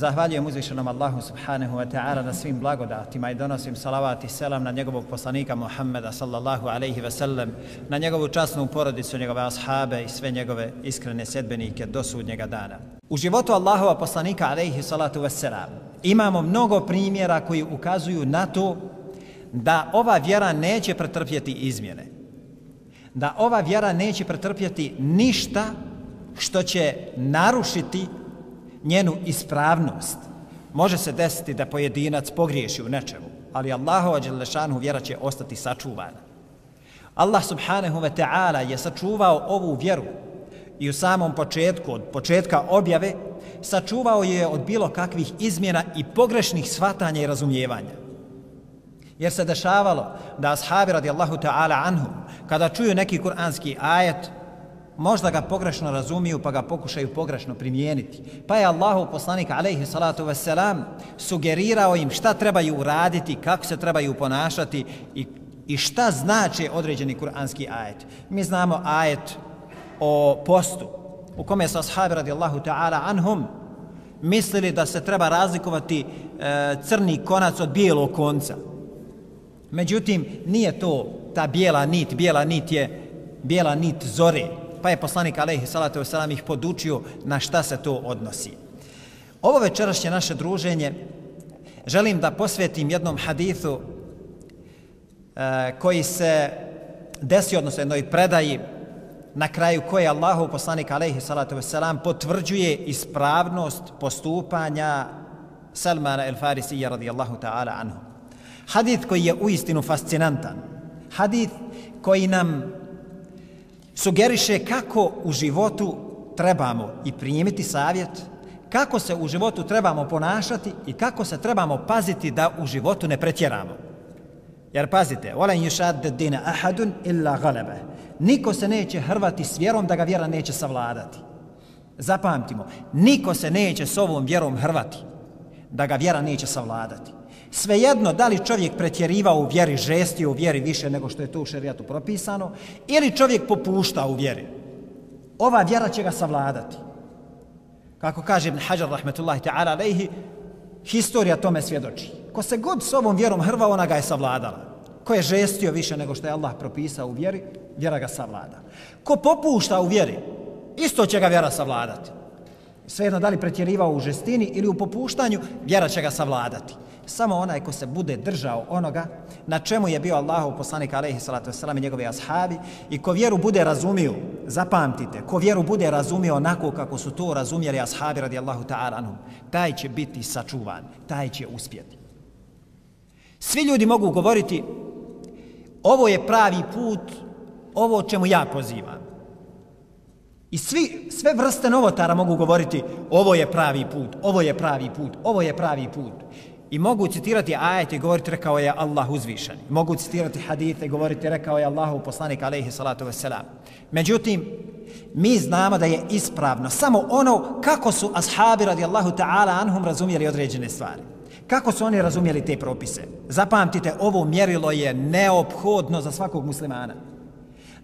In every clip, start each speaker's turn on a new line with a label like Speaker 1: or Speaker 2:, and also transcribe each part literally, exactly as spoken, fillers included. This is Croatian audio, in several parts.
Speaker 1: Zahvaljujem uzvišenom Allahu subhanahu wa ta'ala na svim blagodatima i donosim salavat i selam na njegovog poslanika Muhammeda sallallahu alaihi ve sellem, na njegovu časnu porodicu, njegove ashabe i sve njegove iskrene sedbenike do sudnjega dana. U životu Allahova poslanika alaihi salatu wassalam imamo mnogo primjera koji ukazuju na to da ova vjera neće pretrpjeti izmjene. Da ova vjera neće pretrpjeti ništa što će narušiti njenu ispravnost. Može se desiti da pojedinac pogriješi u nečemu, ali Allahova dželle šanuhu vjera će ostati sačuvana. Allah subhanahu wa ta'ala je sačuvao ovu vjeru i u samom početku, od početka objave, sačuvao je od bilo kakvih izmjena i pogrešnih shvatanja i razumijevanja. Jer se dešavalo da ashabi radijallahu ta'ala anhum, kada čuju neki kuranski ajet, možda ga pogrešno razumiju pa ga pokušaju pogrešno primijeniti. Pa je Allahov poslanik alejhi salatu vesselam sugerirao im šta trebaju uraditi, kako se trebaju ponašati i, i šta znači određeni kuranski ajet. Mi znamo ajet o postu u kome su ashabi radijallahu ta'ala anhum mislili da se treba razlikovati e, crni konac od bijelog konca. Međutim, nije to ta bijela nit, bijela nit je bijela nit zore. Pa je poslanik alejhi salatu vesselam ih podučio na šta se to odnosi. Ovo večerašnje naše druženje želim da posvetim jednom hadithu e, koji se desio, odnosno jednoj predaji na kraju koje Allahov poslanik alejhi salatu vesselam potvrđuje ispravnost postupanja Salmana el Farisija radijallahu ta'ala anhu. Hadith koji je uistinu fascinantan. Hadith koji nam sugeriše kako u životu trebamo i primiti savjet, kako se u životu trebamo ponašati i kako se trebamo paziti da u životu ne pretjeramo. Jer pazite, وَلَنْ يُشَادَّ الدِّينَ أَحَدٌ إِلَّا غَلَبَهُ. Niko se neće hrvati s vjerom da ga vjera neće savladati. Zapamtimo, niko se neće s ovom vjerom hrvati da ga vjera neće savladati. Svejedno da li čovjek pretjerivao u vjeri, žestio u vjeri više nego što je to u šerijatu propisano, ili čovjek popušta u vjeri, ova vjera će ga savladati. Kako kaže Ibn Hajar rahmetullahi ta'ala alejhi, historija tome svjedoči. Ko se god s ovom vjerom hrva, ona ga je savladala. Ko je žestio više nego što je Allah propisao u vjeri, vjera ga savlada. Ko popušta u vjeri, isto će ga vjera savladati. Svejedno da li pretjerivao u žestini ili u popuštanju, vjera će ga savladati. Samo onaj ko se bude držao onoga na čemu je bio Allahov poslanik alejhi salatu vesselam i njegovi ashabi i ko vjeru bude razumio, zapamtite, ko vjeru bude razumio onako kako su to razumjeli ashabi radijallahu ta'ala anhum, taj će biti sačuvan, taj će uspjeti. Svi ljudi mogu govoriti ovo je pravi put, ovo o čemu ja pozivam. I svi, sve vrste novotara mogu govoriti ovo je pravi put, ovo je pravi put, ovo je pravi put. I mogu citirati ajete i govoriti rekao je Allah uzvišen. Mogu citirati hadite i govoriti rekao je Allahov poslanik alejhi salatu vesselam. Međutim, mi znamo da je ispravno samo ono kako su ashabi radijallahu ta'ala anhum razumjeli određene stvari. Kako su oni razumjeli te propise. Zapamtite, ovo mjerilo je neophodno za svakog muslimana.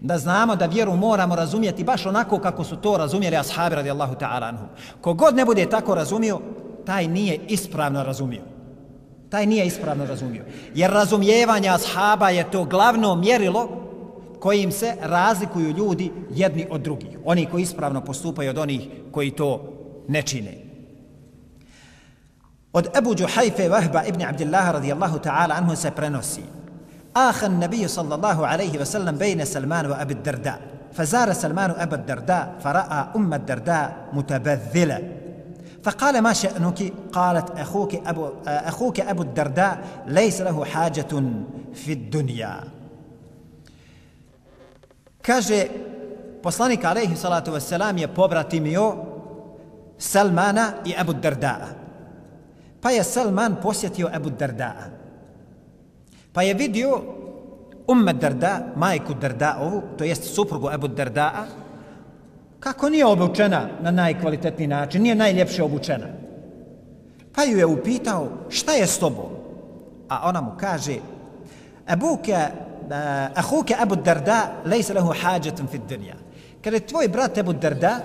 Speaker 1: Da znamo da vjeru moramo razumjeti baš onako kako su to razumjeli ashabi radijallahu ta'ala anhum. Kogod ne bude tako razumio, taj nije ispravno razumio. Taj nije ispravno razumio. Jer razumijevanje ashaba je to glavno mjerilo kojim se razlikuju ljudi jedni od drugih. Oni koji ispravno postupaju od onih koji to ne čine. Od Ebu Džuhajfe Vahba ibn Abdillaha radijallahu ta'ala anhu se prenosi: Ahan nabiju sallallahu alaihi wa sallam bejne Salmanu Abu Darda. Fazara Salmanu Abu Darda fara'a umma Darda mutabadhila. فقال ما شأنك؟ قالت أخوك أبو, أخوك أبو الدرداء ليس له حاجة في الدنيا. Kaže, poslanik alejhi salatu vesselam je pobratimio Salmana i Abu Dardaa. Pa je Salman posjetio Abu Dardaa. Pa je vidio Umma Darda, majku Dardaovu, to jest suprugu Abu Dardaa, kako nije obučena na najkvalitetniji način, nije najljepše obučena. Pa ju je upitao, šta je s tobom? A ona mu kaže, Abuka, ahuka Abu Darda, lejse lehu hađatun fid dunja. Kada tvoj brat Abu Darda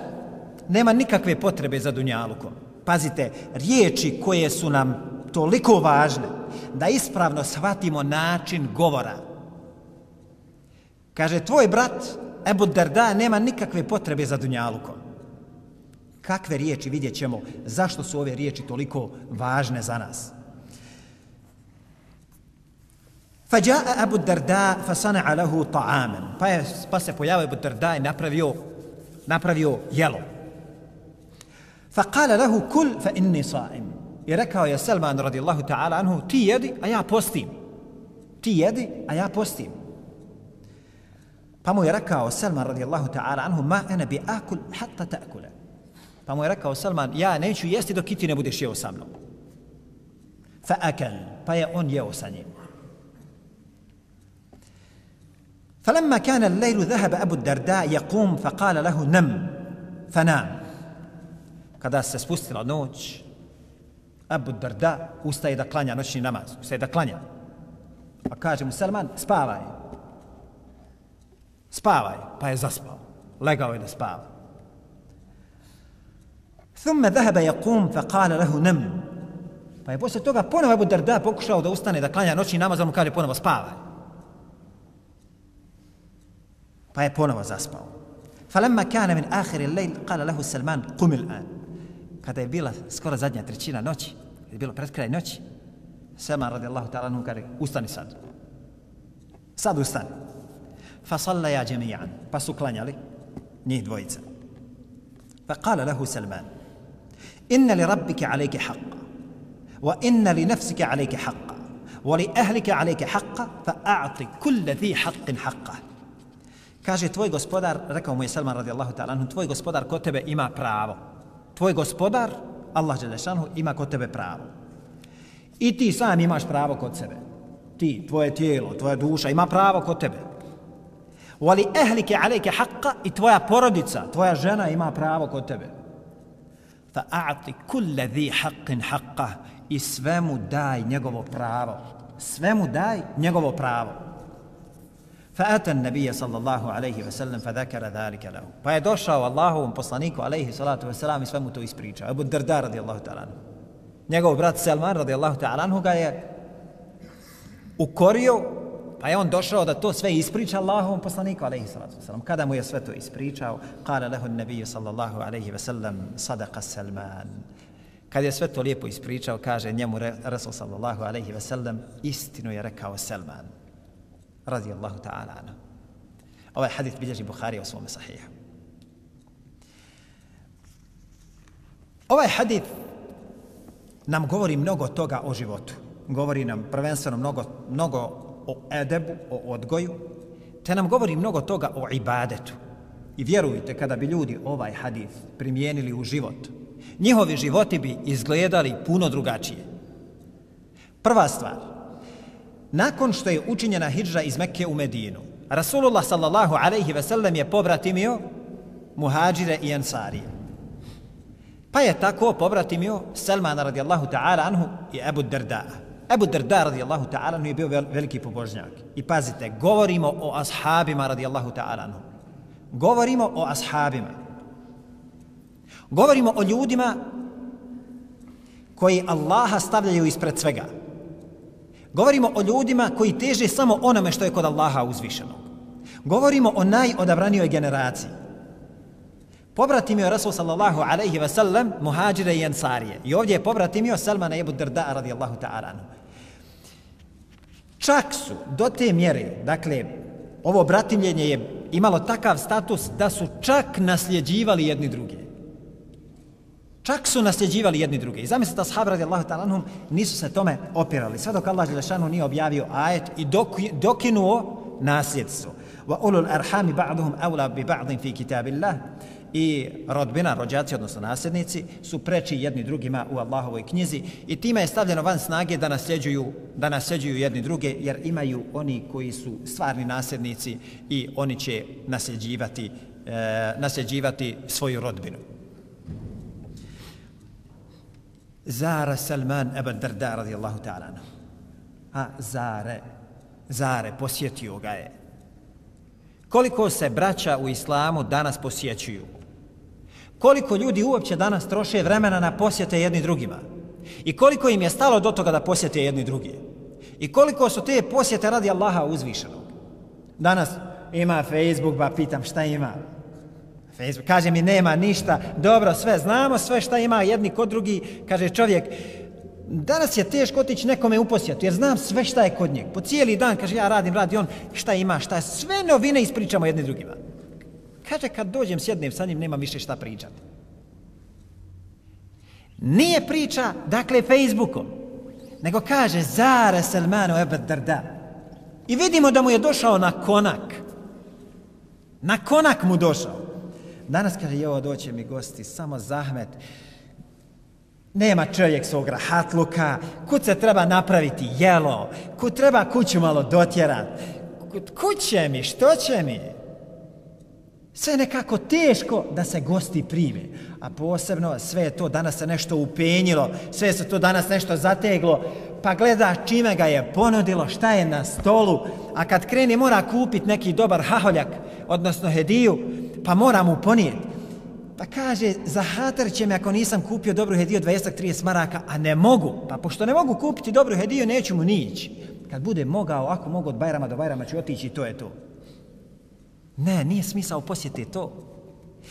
Speaker 1: nema nikakve potrebe za dunjalukom. Pazite, riječi koje su nam toliko važne da ispravno shvatimo način govora. Kaže, tvoj brat Ebu Derda nema nikakve potrebe za dunjalukom. Kakve riječi, vidjet ćemo zašto su ove riječi toliko važne za nas. فجاء أبو الدرداء فصنع له طعاما pa, je, pa se pojavio Ebu Derda i napravio, napravio jelo. فقال له كل فإني صائم i rekao je Selman radijallahu ta'ala anhu, ti jedi, a ja postim. Ti jedi, a ja postim. Pa mu je rekao Selman radijallahu ta'ala anhu, ma ene bi akul hatta ta'kule. Pa mu je rekao Selman, ja neću jesti dok i ti ne budeš jeo sa mnom. Fa akal, pa je on jeo sa njim. فلما كان الليل ذهب أبو الدرداء يقوم فقال له نم فنام. Kada se spustila noć, Abu Darda ustaje da klanja noćni namaz, ustaje da klanja. Pa kaže mu Selman, spavaj. Spavaj, pa je zaspao. Legao je da spava. ثم ذهب يقوم فقال له نم. Pa je posle toga ponovo Abu Darda pokušao da ustane da klanja noćni namaz, on mu kaže ponovo spavaj. Pa je ponovo zaspao. فلما كان من آخر الليل قال له سلمان قم الآن. Kada je bila skoro zadnja trećina noći, je bilo pred kraj noći, Selman radijallahu ta'ala anhu kaže, ustani sad. Sad ustani. فصليا جميعا. Pa su klanjali njih dvojica. فقال له سلمان إن لربك عليك حقا وإن لنفسك عليك حقا ولأهلك عليك حقا فأعطي كل ذي حق حقه. Kaže, tvoj gospodar, rekao mu je Selman radijallahu ta'ala anhu, tvoj gospodar kod tebe ima pravo. Tvoj gospodar, Allah dželešanu, ima kod tebe pravo. I ti sam imaš pravo kod sebe. Ti, tvoje tijelo, tvoja duša ima pravo kod tebe. Wali ahlike alejke haqqa, i tvoja porodica, tvoja žena ima pravo kod tebe. Fa a'ti kulle dhi haqqin haqqa, i svemu daj njegovo pravo. Svemu daj njegovo pravo. فأتى النبي صلى الله عليه وسلم فذكر ذلك له. Pa je došao Allahovom poslaniku alejhi salatu vesselam i sve mu to ispričao. Abu Darda radijallahu ta'ala anhu. Njegov brat Selman radijallahu ta'ala anhu ga je ukorio, pa je on došao da to sve ispriča Allahovom poslaniku alejhi salatu vesselam. Kada mu je sve to ispričao, قال له النبي صلى الله عليه وسلم صدق سلمان. Kad je sve to lijepo ispričao, kaže njemu Rasul sallallahu alejhi ve sellem, istinu je rekao Selman radijallahu ta'ala anhu. Ovaj hadith bilježi Buharija u svome sahihu. Ovaj hadith nam govori mnogo toga o životu. Govori nam prvenstveno mnogo, mnogo o edebu, o odgoju, te nam govori mnogo toga o ibadetu. I vjerujte, kada bi ljudi ovaj hadith primijenili u život, njihovi životi bi izgledali puno drugačije. Prva stvar, nakon što je učinjena hidžra iz Mekke u Medinu, Rasulullah sallallahu alejhi ve sellem je pobratimio muhađire i ensarije. Pa je tako pobratimio Selmana radijallahu ta'ala anhu i Ebu Darda. Ebu Darda radijallahu ta'ala anhu je bio veliki pobožnjak. I pazite, govorimo o ashabima radijallahu ta'ala anhu. Govorimo o ashabima. Govorimo o ljudima koji Allaha stavljaju ispred svega. Govorimo o ljudima koji teže samo onome što je kod Allaha uzvišenog. Govorimo o najodabranijoj generaciji. Pobratimio Rasul sallallahu alejhi ve sellem muhađire i ensarije. I ovdje je pobratimio Selmana i Ebu Darda radijallahu ta'ala anhu. Čak su do te mjere, dakle, ovo bratimljenje je imalo takav status da su čak nasljeđivali jedni druge. Čak su nasljeđivali jedni druge. I zamislite, ashab radijallahu ta'ala anhum nisu se tome opirali. Sve dok Allah dželešanu nije objavio ajet i dok, dokinuo nasljedstvo. Wa ulul arhami ba'duhum awla bi ba'din fi kitabillah. I rodbina, rođaci, odnosno nasljednici, su preči jedni drugima u Allahovoj knjizi i time je stavljeno van snage da nasljeđuju, da nasljeđuju jedni druge, jer imaju oni koji su stvarni nasljednici i oni će nasljeđivati, e, nasljeđivati svoju rodbinu. Zara Salman Ebu Darda radijallahu ta'ala anhu. A zare, zare, posjetio ga je. Koliko se braća u islamu danas posjećuju? koliko ljudi uopće danas troše vremena na posjete jedni drugima. I koliko im je stalo do toga da posjete jedni drugi. I koliko su te posjete radi Allaha uzvišenog. Danas ima Facebook, pa pitam šta ima. Facebook kaže mi nema ništa, dobro sve, znamo sve šta ima jedni kod drugi, kaže čovjek, danas je teško otići nekome u posjetu, jer znam sve šta je kod njeg. Po cijeli dan, kaže, ja radim, radi on, šta ima, šta je, sve novine ispričamo jedni drugima. Kaže, kad dođem, sjednem sa njim, nema više šta pričati. Nije priča, dakle, Facebookom, nego kaže, zare Salmanu Ebu Darda. I vidimo da mu je došao na konak. Na konak mu došao. Danas kaže, jo, doće mi gosti, samo zahmet. Nema čovjek svog rahatluka, kud se treba napraviti jelo, kud treba kuću malo dotjerat, kud će mi, što će mi? Sve nekako teško da se gosti prime, a posebno sve je to danas se nešto upenjilo, sve se to danas nešto zateglo, pa gleda čime ga je ponudilo, šta je na stolu, a kad kreni mora kupiti neki dobar haholjak, odnosno hediju, pa mora mu ponijeti. Pa kaže, zahatar će me ako nisam kupio dobru hediju dvadeset do trideset maraka, a ne mogu. Pa pošto ne mogu kupiti dobru hediju, neću mu ni ići. Kad bude mogao, ako mogu od Bajrama do Bajrama ću otići i to je to. Ne, nije smisao posjeti to.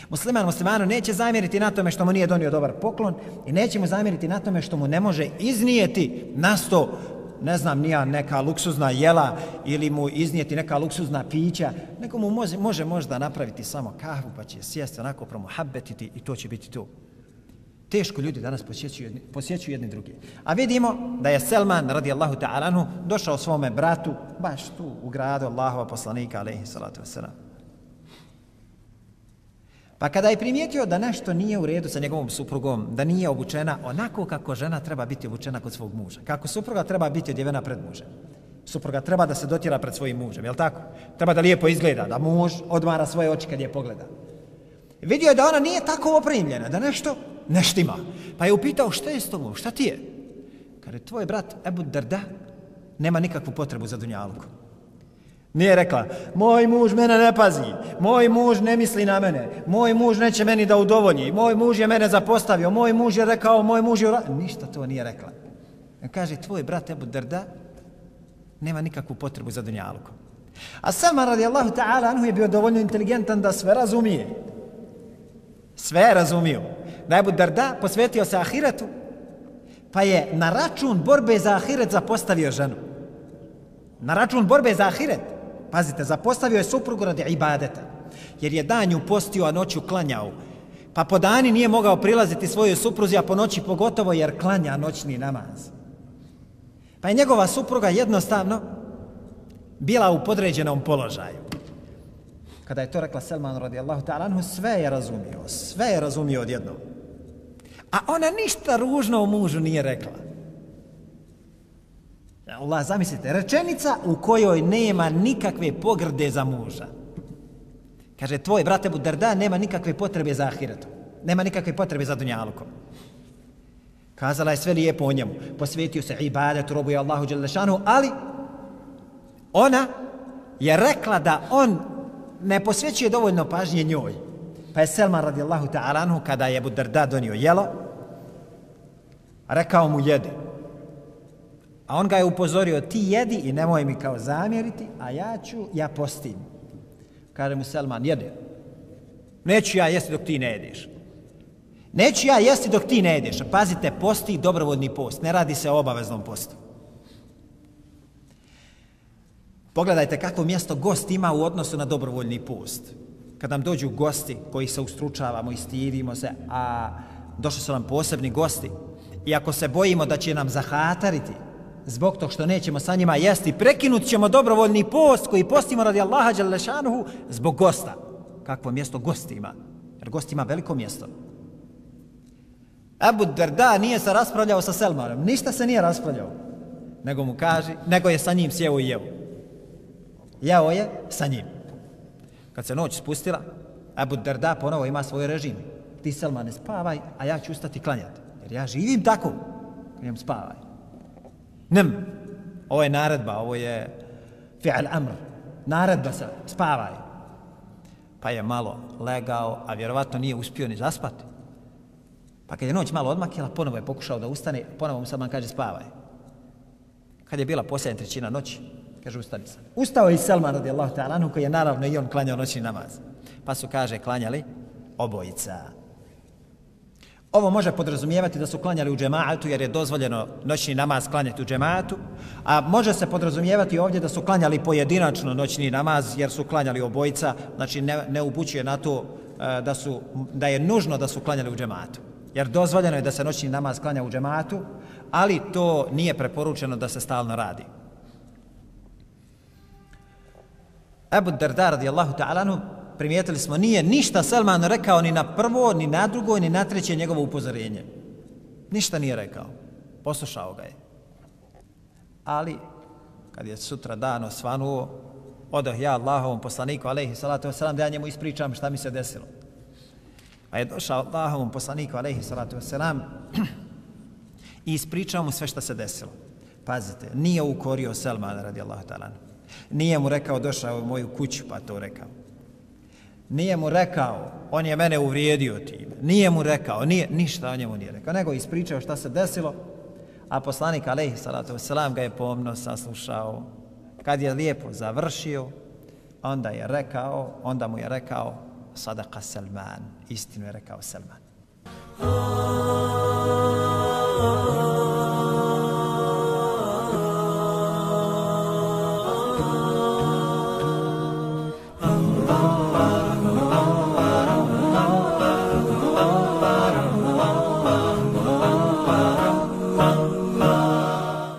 Speaker 1: Musliman muslimanu neće zamjeriti na tome što mu nije donio dobar poklon i neće mu zamjeriti na tome što mu ne može iznijeti na sto, ne znam, nija neka luksuzna jela ili mu iznijeti neka luksuzna pića, nego mu može, može možda napraviti samo kahvu pa će sjesti onako promuhabbetiti i to će biti to. Teško ljudi danas posjećuju jedni, posjećuju jedni drugi. A vidimo da je Selman radijallahu ta'ala anhu došao svome bratu baš tu u gradu Allahova poslanika alejhi salatu vesselam. Pa kada je primijetio da nešto nije u redu sa njegovom suprugom, da nije obučena onako kako žena treba biti obučena kod svog muža, kako supruga treba biti odjevena pred mužem. Supruga treba da se dotjera pred svojim mužem, jel tako? Treba da lijepo izgleda, da muž odmara svoje oči kad je pogleda. Vidio je da ona nije tako opremljena, da nešto ne štima. Pa je upitao šta je s tobom, šta ti je? Kaže, tvoj brat Ebu Darda nema nikakvu potrebu za dunjaluku. Nije rekla, moj muž mene ne pazi, moj muž ne misli na mene, moj muž neće meni da udovolji, moj muž je mene zapostavio, moj muž je rekao, moj muž je... Ništa to nije rekla. Kaže, tvoj brat Ebu Darda nema nikakvu potrebu za dunjalukom. A Salman radijallahu ta'ala anhu je bio dovoljno inteligentan da sve razumije. Sve razumio. Da je Ebu Darda posvetio se ahiretu, pa je na račun borbe za ahiret zapostavio ženu. Na račun borbe za ahiret. Pazite, zapostavio je suprugu radi ibadeta. Jer je danju postio, a noću klanjao. Pa po dani nije mogao prilaziti svojoj supruzi, a po noći pogotovo jer klanja noćni namaz. Pa je njegova supruga jednostavno bila u podređenom položaju. Kada je to rekla Selman radijallahu ta'ala anhu, sve je razumio, sve je razumio odjednom. A ona ništa ružno o mužu nije rekla. Allah, zamislite, rečenica u kojoj nema nikakve pogrde za muža. Kaže, tvoj brat Ebu Darda nema nikakve potrebe za ahiretom, nema nikakve potrebe za dunjalukom. Kazala je sve lijepo o njemu, posvetio se ibadetu, robuje Allahu dželle šanuhu, ali ona je rekla da on ne posvećuje dovoljno pažnje njoj. Pa je Selman radijallahu ta'ala anhu, kada je Ebu Darda donio jelo, rekao mu jedi. A on ga je upozorio, ti jedi i nemoj mi kao zamjeriti, a ja ću, ja postim. Kaže mu Selman, jedi. Neću ja jesti dok ti ne jedeš. Neću ja jesti dok ti ne jedeš. Pazite, posti dobrovoljni post, ne radi se o obaveznom postu. Pogledajte kakvo mjesto gost ima u odnosu na dobrovoljni post. Kad nam dođu gosti koji se ustručavamo i stidimo se, a došli su nam posebni gosti, i ako se bojimo da će nam zahatariti zbog tog što nećemo sa njima jesti, prekinut ćemo dobrovoljni post koji postimo radi Allaha dželle šanuhu zbog gosta. Kakvo mjesto gost ima? Jer gost ima veliko mjesto. Ebu Darda nije se raspravljao sa Selmanom, ništa se nije raspravljao, nego mu kaže, nego je sa njim sjeo i jeo. Jeo je sa njim. Kad se noć spustila, Ebu Darda ponovo ima svoj režim. Ti, Selmane, spavaj, a ja ću ustati klanjati. Jer ja živim tako. Kažem, spavaj. Nem. Ovo je naredba, ovo je fi'al amr. Naredba se, spavaj. pa je malo legao, a vjerovatno nije uspio ni zaspati. Pa kad je noć malo odmakila, ponovo je pokušao da ustane, ponovo mu Salman kaže spavaj. Kad je bila posljednja trećina noći, kaže ustani sad. Ustao je i Salman radijallahu ta'ala anhu, koji je naravno i on klanjao noćni namaz. Pa su, kaže, klanjali obojica. Ovo može podrazumijevati da su klanjali u džematu, jer je dozvoljeno noćni namaz klanjati u džematu, a može se podrazumijevati ovdje da su klanjali pojedinačno noćni namaz, jer su klanjali obojica, znači ne, ne upućuje na to da, su, da je nužno da su klanjali u džematu. Jer dozvoljeno je da se noćni namaz klanja u džematu, ali to nije preporučeno da se stalno radi. Ebu Darda radijallahu ta'ala anhu, primijetili smo, nije ništa Salman rekao ni na prvo, ni na drugo, ni na treće njegovo upozorenje. Ništa nije rekao. Poslušao ga je. Ali, kad je sutra dan osvanuo, odoh ja Allahovom poslaniku, alejhi salatu wasalam, da ja njemu ispričam šta mi se desilo. Pa je došao Allahovom poslaniku, alejhi salatu wasalam, i ispričao mu sve šta se desilo. Pazite, nije ukorio Salmana radijallahu ta'ala. Nije mu rekao, došao u moju kuću, pa to rekao. Nije mu rekao, on je mene uvrijedio time. Nije mu rekao, nije, ništa o njemu nije rekao, nego ispričao šta se desilo, a poslanik alejhi salatu wasalam ga je pomno saslušao. Kad je lijepo završio, onda je rekao, onda mu je rekao, sadaqa Salman, istinu je rekao Salman.